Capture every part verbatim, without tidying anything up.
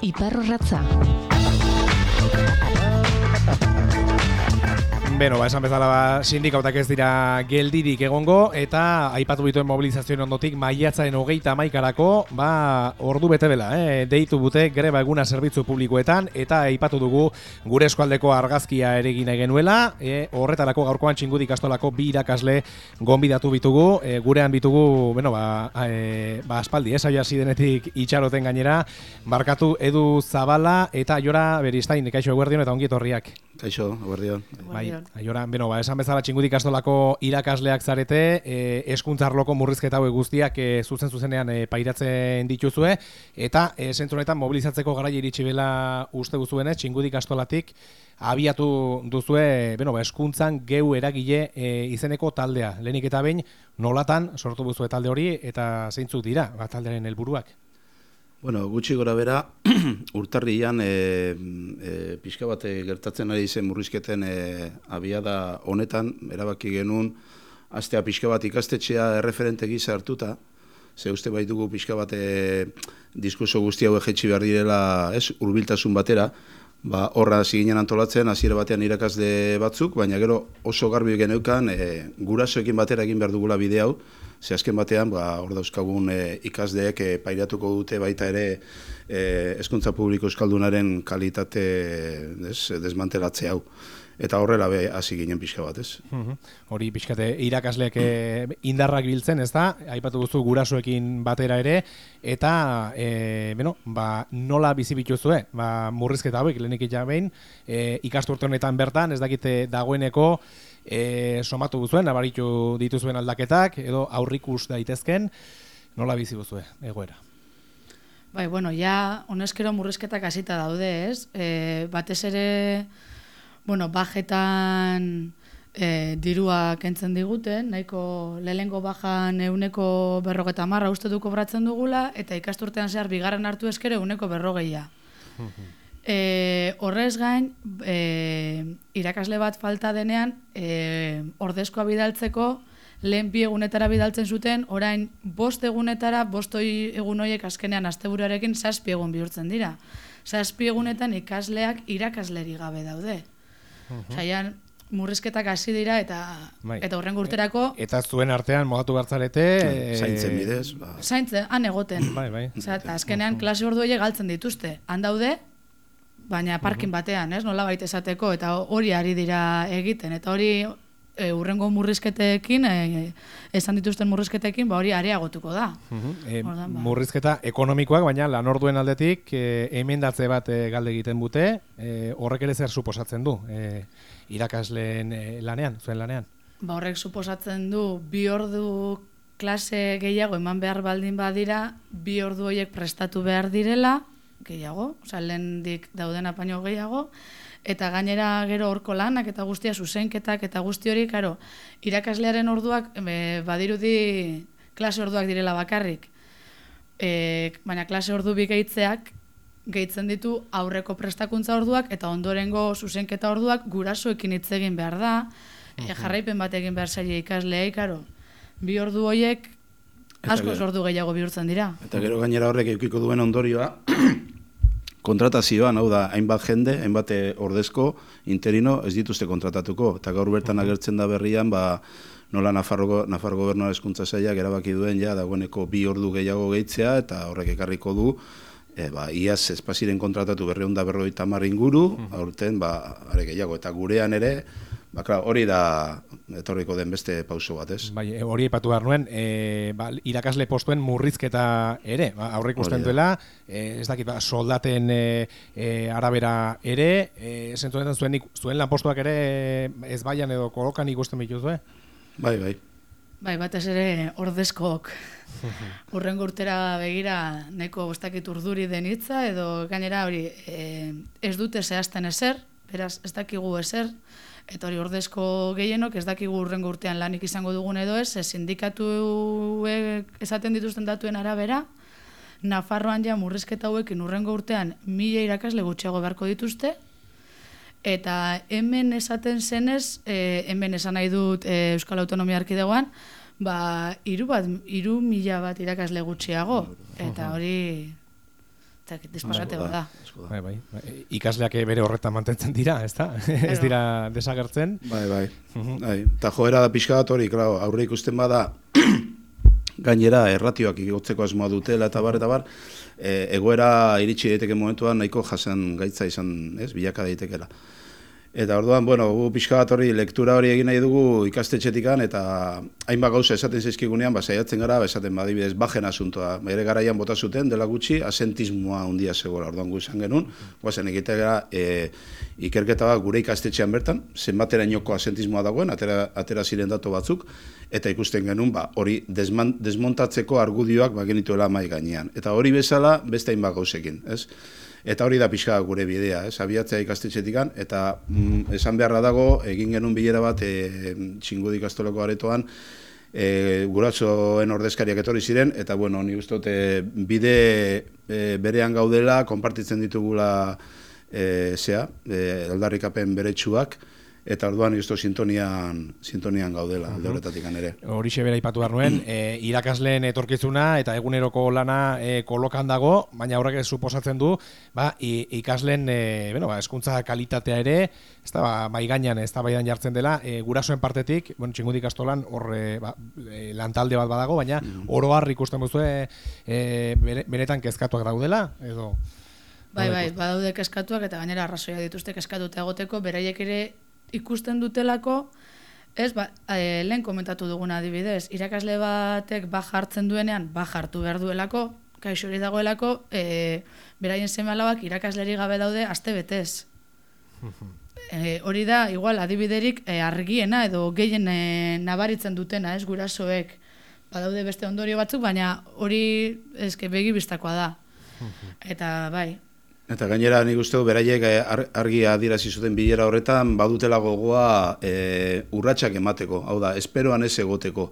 Iparrorratza. Beno, ba, esan bezala ba, sindikautak ez dira geldirik egongo, eta aipatu bituen mobilizazioen ondotik maiatzaren hogeita hamaikarako, ba, ordu bete bela, eh? Deitu bute greba eguna zerbitzu publikoetan, eta aipatu dugu gure eskualdeko argazkia ere egin nahi genuela, eh? Horretarako gaurkoan Txingudi ikastolako bi irakasle gonbidatu bitugu, eh, gurean bitugu, bueno, ba, eh, ba aspaldi, ez, hasi denetik itxaroten gainera, barkatu Edu Zabala eta Aiora Beristain, kaixo eguerdion eta ongi etorriak. Kaixo, eguerdion. Bai, Aiora, beno, ba, esan bezala Txingudi ikastolako irakasleak zarete, eh, hezkuntza arloko murrizketa hauek guztiak eh, zuzen zuzenean eh, pairatzen dituzue, eta eh, zentzu honetan mobilizatzeko garaia iritsi bela uste duzuenez, Txingudi ikastolatik abiatu duzue, beno, ba, hezkuntzan geu eragile eh, izeneko taldea. Lehenik eta behin, nolatan sortu duzue talde hori eta zeintzuk dira, ba, taldearen helburuak? Bueno, gutxi gora bera, urtarrian e, e, pixka bat gertatzen ari zen murrizketen e, abiada honetan, erabaki genuen, astea pixka bat ikastetxea erreferente gisa hartuta, ze uste baitugu pixka bat e, diskurso guzti hau ejetxi behar direla, ez, hurbiltasun batera, ba, horra ziginen antolatzen, hasiera batean irakasle batzuk, baina gero oso garbi geneukan, e, gurasoekin batera egin behar dugula bide hau, ze azken batean, ba, hor dauzkagun e, ikasleek e, pairatuko dute baita ere e, hezkuntza publiko euskaldunaren kalitate des, desmantelatze hau. Eta horrela be hasi ginen pixka bat, ez? Uhum. Hori pixkate irakasleak e, indarrak biltzen, ez da? Aipatu duzu gurasoekin batera ere, eta e, beno, ba, nola bizi bituzue? Ba, murrizketa hauek lehenik ja behin, e, ikasturte honetan bertan, ez dakite dagoeneko e, somatu duzuen, nabaritu dituzuen aldaketak, edo aurrikus daitezken, nola bizi duzue egoera? Bai, bueno, ja, honezkero murrizketak hasita daude, ez? E, batez ere, bueno, bajetan e, dirua kentzen diguten, nahiko lehengo bajan euneko berrogeta marra uste du kobratzen dugula, eta ikasturtean zehar bigarren hartu eskero euneko berrogeia. E, horrez gain, e, irakasle bat falta denean, e, ordezkoa bidaltzeko, lehen bi egunetara bidaltzen zuten, orain bost egunetara, bost egun horiek azkenean asteburuarekin zazpi egun bihurtzen dira. Zazpi egunetan ikasleak irakasleri gabe daude. Zaian, murrizketak hasi dira eta bai. eta horren urterako... Eta zuen artean mogatu bertzarete... E, zaintzen bidez. Ba. Zaintzen, han egoten. Bai, bai. Osa, eta azkenean klase ordu horiek galtzen dituzte. Han daude, baina parkin batean, ez? Nola baita esateko, eta hori ari dira egiten. Eta hori e, urrengo murrizketekin, e, esan dituzten murrizketekin, ba hori areagotuko da. Uh-huh. e, Ordan, ba. Murrizketa ekonomikoak, baina lanorduen aldetik e, emendatze bat e, galde egiten dute, e, horrek ere zer suposatzen du e, irakasleen e, lanean, zuen lanean? Ba horrek suposatzen du bi ordu klase gehiago eman behar baldin badira, bi ordu horiek prestatu behar direla, gehiago, oza, lehendik dauden apaino gehiago, eta gainera gero horko lanak eta guztia zuzenketak eta guzti hori, karo, irakaslearen orduak e, badirudi klase orduak direla bakarrik. E, baina klase ordu bi gehitzeak gehitzen ditu aurreko prestakuntza orduak eta ondorengo zuzenketa orduak gurasoekin hitz egin behar da, e, jarraipen bat egin behar zaila ikasleei, karo, bi ordu horiek askoz ordu gehiago bihurtzen dira. Eta gero gainera horrek eukiko duen ondorioa, kontratazioan, hau da, hainbat jende, hainbat ordezko, interino, ez dituzte kontratatuko. Eta gaur bertan agertzen da berrian, ba, nola Nafarro, Nafarro Gobernuaren hezkuntza sailak erabaki duen, ja, dagoeneko bi ordu gehiago gehitzea, eta horrek ekarriko du, e, ba, iaz espaziren kontratatu berreun da berrogeita hamar inguru, aurten, ba, are gehiago, eta gurean ere, ba, klar, hori da etorriko den beste pauso bat, ez? Bai, hori aipatu behar nuen, e, ba, irakasle postuen murrizketa ere, ba, aurre ikusten duela, e, ez dakit, ba, soldaten e, e, arabera ere, e, zentuetan zuen, zuen lanpostuak ere ez baian edo kolokan ikusten bituzue? Bai, bai. Bai, batez ere ordezkook urrengo urtera begira nahiko bostakit urduri den hitza, edo gainera hori e, ez dute zehazten ezer, beraz ez dakigu ezer, eta hori ordezko gehienok ez dakigu urrengo urtean lanik izango dugun edo ez, ez sindikatuek esaten dituzten datuen arabera, Nafarroan ja murrizketa hauekin urrengo urtean mila irakasle gutxiago beharko dituzte, eta hemen esaten zenez, e, hemen esan nahi dut e, Euskal Autonomia Erkidegoan, ba, hiru bat, hiru mila bat irakasle gutxiago, eta hori disparate bat da. Bai, bai. Ikasleak bere horretan mantentzen dira, ez da? Ez dira desagertzen. Bai, bai. bai. Ta joera da pixka bat hori, claro, aurre ikusten bada gainera erratioak igotzeko asmoa dutela eta bar eta bar, e, egoera iritsi daiteke momentuan nahiko jasan gaitza izan, ez, bilaka daitekela. Eta orduan, bueno, gu pixka bat hori lektura hori egin nahi dugu ikastetxetikan eta hainbat gauza esaten zaizkigunean, ba, saiatzen gara, ba, esaten badibidez, bajen asuntoa. Bere garaian bota zuten, dela gutxi, asentismoa handia zegoela. Orduan gu izan genuen, guazen egitea e, ikerketa bat gure ikastetxean bertan, zenbatera inoko asentismoa dagoen, atera, atera ziren datu batzuk, eta ikusten genuen, ba, hori desman, desmontatzeko argudioak ba, genituela mai gainean. Eta hori bezala, beste hainbat gauzekin, ez? Eta hori da pixka gure bidea, ez, abiatzea ikastetxetikan, eta mm, esan beharra dago, egin genuen bilera bat e, Txingudi ikastolako aretoan, e, guratxoen ordezkariak etorri ziren, eta bueno, ni uste dut e, bide e, berean gaudela, konpartitzen ditugula e, zea, e, aldarrikapen beretsuak, eta orduan justo sintonian, sintonian gaudela, alde horretatik ere. Horixe bera ipatu behar nuen, e, irakasleen etorkizuna eta eguneroko lana e, kolokan dago, baina horrek suposatzen du, ba, ikasleen e, bueno, ba, hezkuntza kalitatea ere, ez da, ba, maigainan ez da baidan jartzen dela, e, gurasoen partetik, bueno, Txingudi ikastolan hor e, ba, e, lantalde bat badago, baina mm. oro har ikusten duzu e, e, benetan kezkatuak daudela, edo... Bai, bai, badaude kezkatuak eta gainera arrazoia dituzte kezkatuta egoteko, beraiek ere ikusten dutelako, ez, ba, e, lehen komentatu duguna adibidez, irakasle batek ba jartzen duenean, ba jartu behar duelako, kaixo hori dagoelako, e, beraien seme-alabak irakasleri gabe daude aste betez. E, hori da, igual, adibiderik e, argiena edo gehien e, nabaritzen dutena, ez, gurasoek. Badaude beste ondorio batzuk, baina hori eske begi bistakoa da. Eta, bai, Eta gainera nik uste du beraiek argi adierazi zuten bilera horretan badutela gogoa e, urratsak emateko, hau da, esperoan ez egoteko.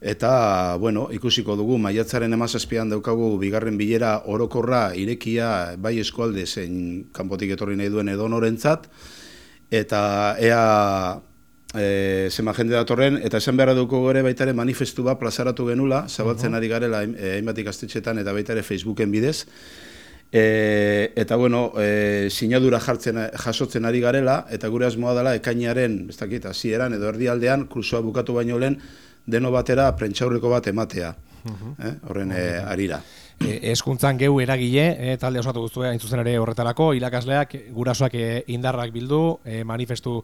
Eta, bueno, ikusiko dugu, maiatzaren hamazazpian daukagu bigarren bilera orokorra irekia bai eskualde zein kanpotik etorri nahi duen edonorentzat, eta ea e, zema jende datorren, eta esan beharra dugu ere baita ere manifestu bat plazaratu genula, zabaltzen ari garela hainbat ikastetxetan eta baita ere Facebooken bidez, E, eta bueno, e, sinadura jartzen, jasotzen ari garela, eta gure asmoa dela ekainaren, ez dakit, hasieran edo erdialdean, kursoa bukatu baino lehen, deno batera prentsaurreko bat ematea, eh? horren e, arira. E, eskuntzan geu eragile, e, talde osatu guztu hain zuzen ere horretarako, irakasleak, gurasoak e, indarrak bildu, e, manifestu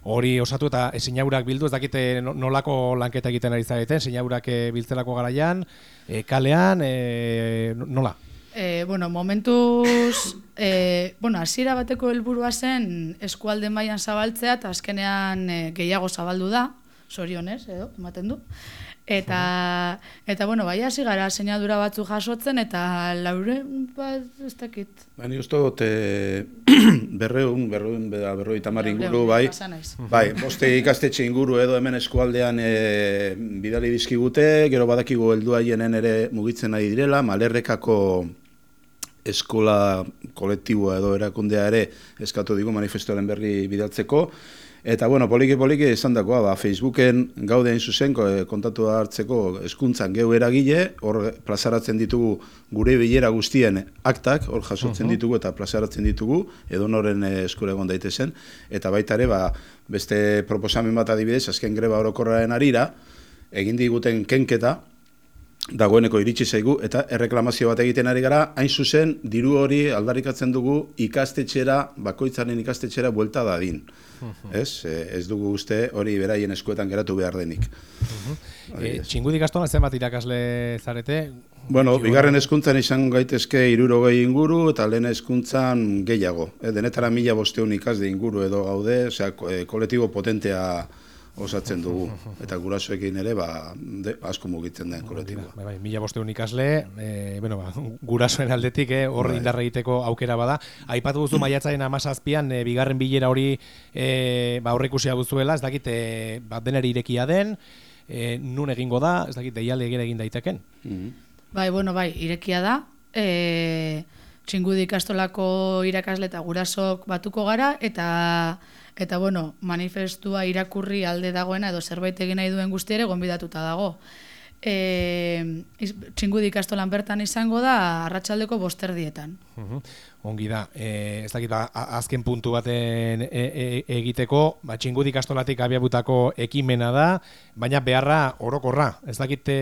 hori osatu eta e, sinaurak bildu, ez dakite nolako lanketa egiten ari zareten, sinaurak e, biltzelako garaian, e, kalean, e, nola? E, bueno, momentuz, e, bueno, hasiera bateko helburua zen eskualde mailan zabaltzea eta azkenean e, gehiago zabaldu da, zorionez, edo, ematen du. Eta, eta bueno, bai hasi gara sinadura batzu jasotzen eta laure bat ez dakit. Bani uste dut e, berreun, berreun, berroi tamar inguru, bai, bai, boste ikastetxe inguru edo hemen eskualdean e, bidali dizkigute, gero badakigu heldu haienen ere mugitzen nahi direla, Malerrekako eskola kolektiboa edo erakundea ere eskatu digu manifestuaren berri bidaltzeko. Eta, bueno, poliki-poliki esan dakoa, ba, Facebooken gaude hain zuzen kontatu hartzeko hezkuntzan geu eragile, hor plazaratzen ditugu gure bilera guztien aktak, hor jasotzen uh-huh. ditugu eta plazaratzen ditugu, edonoren eskura egon daitezen, eta baita ere, ba, beste proposamen bat adibidez, azken greba orokorraren arira, egin diguten kenketa, dagoeneko iritsi zaigu, eta erreklamazio bat egiten ari gara, hain zuzen, diru hori aldarrikatzen dugu ikastetxera, bakoitzaren ikastetxera buelta dadin. Uh-huh. Ez? Ez dugu uste hori beraien eskuetan geratu behar denik. Uh-huh. E, Txingudi ikastolan zenbat irakasle zarete? Bueno, bigarren hezkuntzan izan gaitezke hirurogei inguru, eta lehen hezkuntzan gehiago. E, denetara mila bosteun ikasle inguru edo gaude, osea, kolektibo potentea osatzen dugu, eta gurasoekin ere ba, de, asko mugitzen den kolektiboa. Bai, bai, mila bosteun ikasle, e, bueno, ba, gurasoen aldetik eh, horre indarra egiteko aukera bada. Aipatu duzu maiatzaren hamazazpian e, bigarren bilera hori e, ba, aurreikusia duzuela, ez dakit e, ba, deneri irekia den, e, nun egingo da, ez dakit deiale egin egin daiteken. Mm-hmm. Bai, bueno, bai, irekia da. E, Txingudi ikastolako irakasle eta gurasok batuko gara, eta Eta, bueno, manifestua irakurri alde dagoena edo zerbait egin nahi duen guzti ere gonbidatuta dago. E, Txingudi ikastolan bertan izango da arratsaldeko bosterdietan. Uhum. Ongi da, e, ez dakit, ba, azken puntu baten e, e, egiteko, ba, Txingudi ikastolatik abiabutako ekimena da, baina beharra orokorra. Ez dakit e,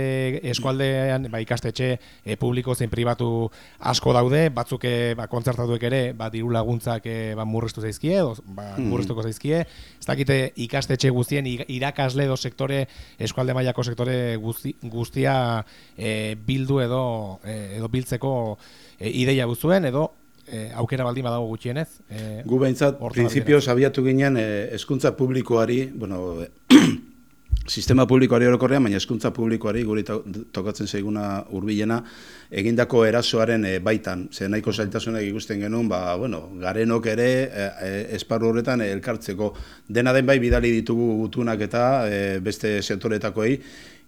eskualdean ba, ikastetxe e, publiko zein pribatu asko daude, batzuk e, ba, kontzertatuek ere ba, diru laguntzak e, ba, murriztu zaizkie, edo, ba, murriztuko zaizkie. Ez dakit e, ikastetxe guztien irakasle edo sektore, eskualde mailako sektore guzti, guztia e, bildu edo, e, edo biltzeko e, ideia buzuen, edo E, aukera baldin badago gutxienez. E, Gu behintzat, prinsipioz abiatu ginen eh, hezkuntza publikoari, bueno, sistema publikoari orokorrean, baina hezkuntza publikoari guri to tokatzen zaiguna hurbilena egindako erasoaren e, baitan. Ze nahiko zailtasunak ikusten genuen, ba, bueno, garenok ere e, e, esparru horretan e, elkartzeko. Dena den bai bidali ditugu gutunak eta e, beste sektoretakoei,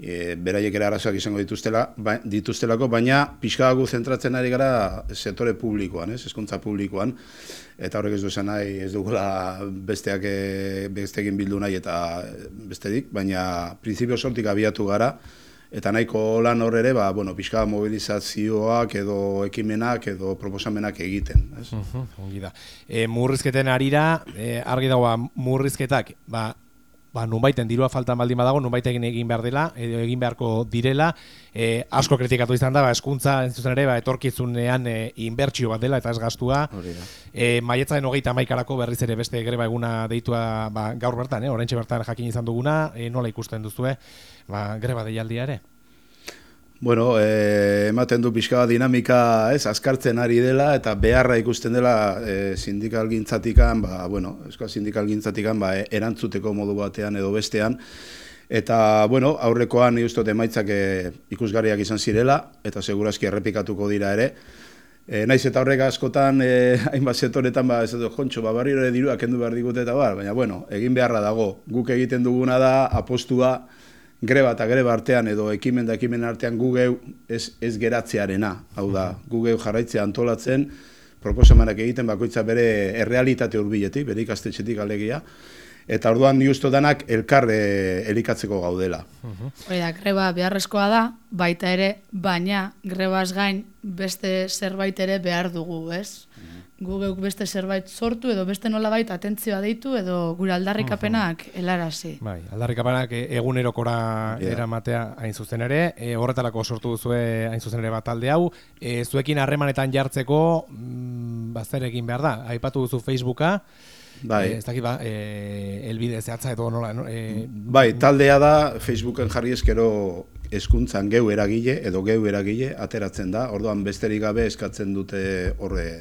e, beraiek ere arazoak izango dituztela, ba, dituztelako, baina pixkagu zentratzen ari gara sektore publikoan, ez, hezkuntza publikoan. Eta horrek ez du esan nahi, ez dugula besteak besteekin bildu nahi eta bestedik, baina printzipio sortik abiatu gara, eta nahiko lan hor ere, ba, bueno, pixka mobilizazioak edo ekimenak edo proposamenak egiten. Ez? Uh-huh, ongi da. E, murrizketen arira, e, argi dagoa murrizketak, ba, ba, nunbaiten dirua faltan baldin badago, nunbaiten egin behar dela, edo egin beharko direla, e, asko kritikatu izan da, ba, eskuntza entzuzen ere, ba, etorkizunean e, inbertsio bat dela, eta ez gastua. E, Maiatzaren hogeita hamaikaerako berriz ere beste greba eguna deitua ba, gaur bertan, eh, oraintxe bertan jakin izan duguna, e, nola ikusten duzue, ba, greba deialdia ere? Bueno, eh, ematen du pixka dinamika, ez, azkartzen ari dela eta beharra ikusten dela eh, sindikalgintzatikan, ba, bueno, euskal sindikalgintzatikan ba, erantzuteko modu batean edo bestean. Eta, bueno, aurrekoan ni ustot emaitzak eh, ikusgarriak izan zirela eta segurazki errepikatuko dira ere. E, naiz eta horrek askotan, e, hainbat sektoretan, ba, ez edo, jontxo, ba, barriro ere dirua kendu behar digute eta bar, baina, bueno, egin beharra dago. Guk egiten duguna da, apostua, greba eta greba artean edo ekimen da ekimen artean gugeu ez, ez geratzearena. Hau da, gugeu jarraitzea antolatzen, proposamenak egiten bakoitza bere errealitate hurbiletik, bere ikastetxetik alegia, eta orduan ni uste danak elkar e, elikatzeko gaudela. Hori da, greba beharrezkoa da, baita ere, baina grebaz gain beste zerbait ere behar dugu, ez? Gu geuk beste zerbait sortu edo beste nolabait atentzioa deitu edo gure aldarrikapenak helarazi. Bai, aldarrikapenak egunerokora yeah. eramatea hain zuzen ere, e, horretarako sortu duzue hain zuzen ere bat talde hau, e, zuekin harremanetan jartzeko mm, bazer egin behar da, aipatu duzu Facebooka, bai. E, ez dakit ba, e, elbide zehatza edo nola, no? E, bai, taldea da Facebooken jarri eskero hezkuntzan geu eragile edo geu eragile ateratzen da, orduan besterik gabe eskatzen dute horre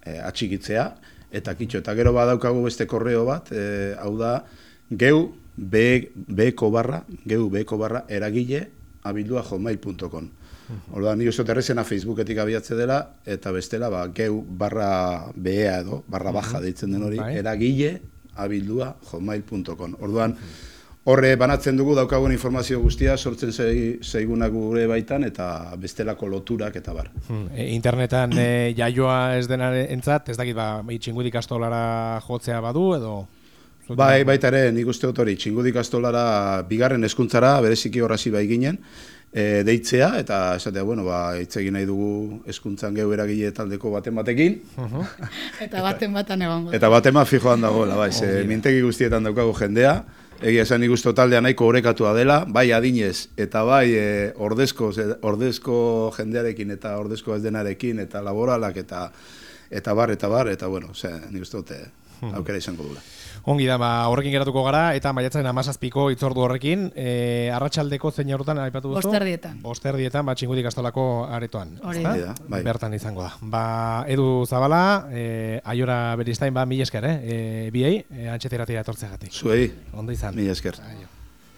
E, atxikitzea, eta kitxo, eta gero badaukagu beste korreo bat, e, hau da, geu beko barra, geu beko barra, eragile, abildua hotmail punto com. Orduan, ni usot errezena Facebooketik abiatze dela, eta bestela, ba, geu barra bea edo, barra baja deitzen den hori, eragile, abildua hotmail punto com. Orduan, horre banatzen dugu daukagun informazio guztia, sortzen zaigunak gure baitan, eta bestelako loturak eta bar. Hmm. E, internetan e, jaioa ez denaren entzat, ez dakit, ba, Txingudi ikastolara jotzea badu, edo? Bai, baita ere, nik uste dut hori, Txingudi ikastolara bigarren hezkuntzara, bereziki horrazi bai ginen, e, deitzea, eta esatea, bueno, ba, hitz egin nahi dugu hezkuntzan geu eragile taldeko baten batekin. Uh-huh. eta baten batan egongo. Eta baten bat fijoan dagoela, bai, ze mintegi guztietan daukagu jendea, egia esan nik uste taldea nahiko orekatua dela, bai adinez, eta bai e, ordezko, ordezko jendearekin eta ordezko ez denarekin, eta laboralak, eta eta bar, eta bar, eta bueno, ze, nik uste dute aukera izango dula. Ongi da, ba, horrekin geratuko gara, eta maiatzaren hamazazpiko hitzordu horrekin, e, arratsaldeko zein horretan aipatu duzu? Bosterdietan. Bosterdietan, ba, Txingudi ikastolako aretoan. Hori da. Bai. Bertan izango da. Ba, Edu Zabala, e, Aiora Beristain, ba, mila esker, eh? E, biei, e, antxeteratira etortzeagatik. Zuei. Ondo izan. Mila esker. Aio.